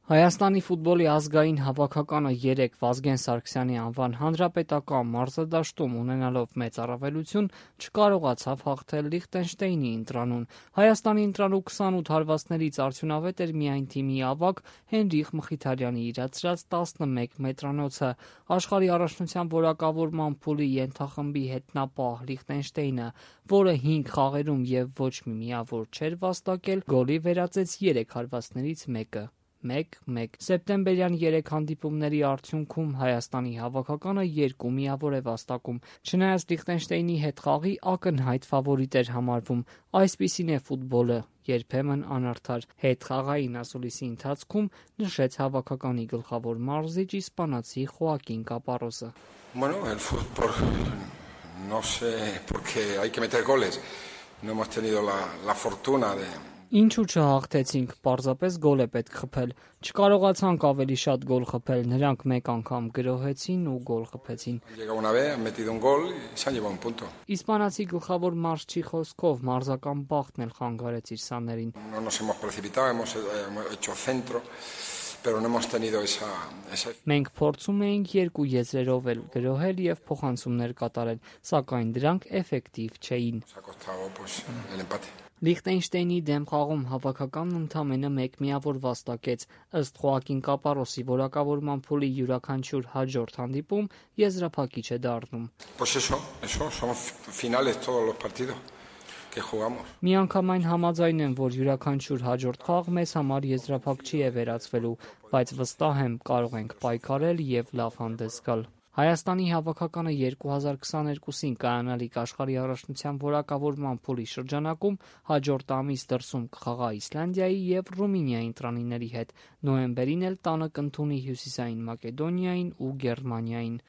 Հայաստանի ֆուտբոլի ազգային հավաքականը 3 Վազգեն Սարգսյանի անվան հանրապետական մարզադաշտում ունենալով մեծ առավելություն չկարողացավ հաղթել Լիխտենշտեյնի ընտրանուն։ Հայաստանի ընտրանու 28 հարվածներից արդյունավետ էր միայն թիմի ավագ Հենրիխ Մխիթարյանի իրացրած 11 մետրանոցը։ Աշխարհի առաջնության որակավորման փուլի ենթախմբի հետնապահ Լիխտենշտեյնը, որը 5 խաղերում եւ ոչ մի միավոր չէր վաստակել, գոլի վերածեց 3 հարվածներից մեկը։ 1-1 Սեպտեմբերյան 3 հանդիպումների արդյունքում Հայաստանի հավաքականը 2 միավոր է վաստակում։ Չնայած Լիխտենշտեյնի հետ խաղի ակնհայտ ֆավորիտ էր համարվում։ Այսպիսին է ֆուտբոլը, երբեմն անարդար, հետխաղային ասուլիսի ընթացքում նշեց հավաքականի գլխավոր մարզիչ իսպանացի Խոակին Կապարոսը։ Bueno, el fútbol no sé porque hay que meter goles. No hemos tenido la fortuna de Ինչու չհաղթեցինք, պարզապես գոլ է պետք խփել։ Չկարողացանք ավելի շատ գոլ խփել, նրանք մեկ անգամ գրոհեցին ու գոլ խփեցին։ llega una vez, han metido un gol y se han llevado un punto. Իսպանացի գլխավոր մարզչի խոսքով մարզական բախտն էլ խանգարեց իր սաներին։ No nos hemos precipitado, hemos hecho centro, pero no hemos tenido esa Մենք փորձում էինք 2 եզրերով էլ գրոհել եւ փոխանցումներ կատարել, սակայն դրանք էֆեկտիվ չէին։ ha costado pues el empate. Լիխտենշտեյնի դեմ խաղում հավաքականն ընդամենը 1 միավոր վաստակեց։ Ըստ Խոակին Կապարոսի որակավորման փուլի յուրաքանչյուր հաջորդ հանդիպում եզրափակիչ է դառնում։ Pues eso, son finales todos los partidos que jugamos. Միանգամայն համաձայն եմ, որ յուրաքանչյուր հաջորդ խաղ մեզ համար եզրափակչի է վերածվելու, բայց վստահ եմ կարող ենք պայքարել եւ լավ հանդես գալ։ Հայաստանի հավաքականը 2022-ին կայանալիք աշխարհի առաջնության որակավորման փուլի շրջանակում հաջորդ ամիս դրսում կխաղա Իսլանդիայի եւ Ռումինիայի ընտրանիների հետ, նոյեմբերին էլ տանը կընդունի Հյուսիսային Մակեդոնիային ու Գերմանիային։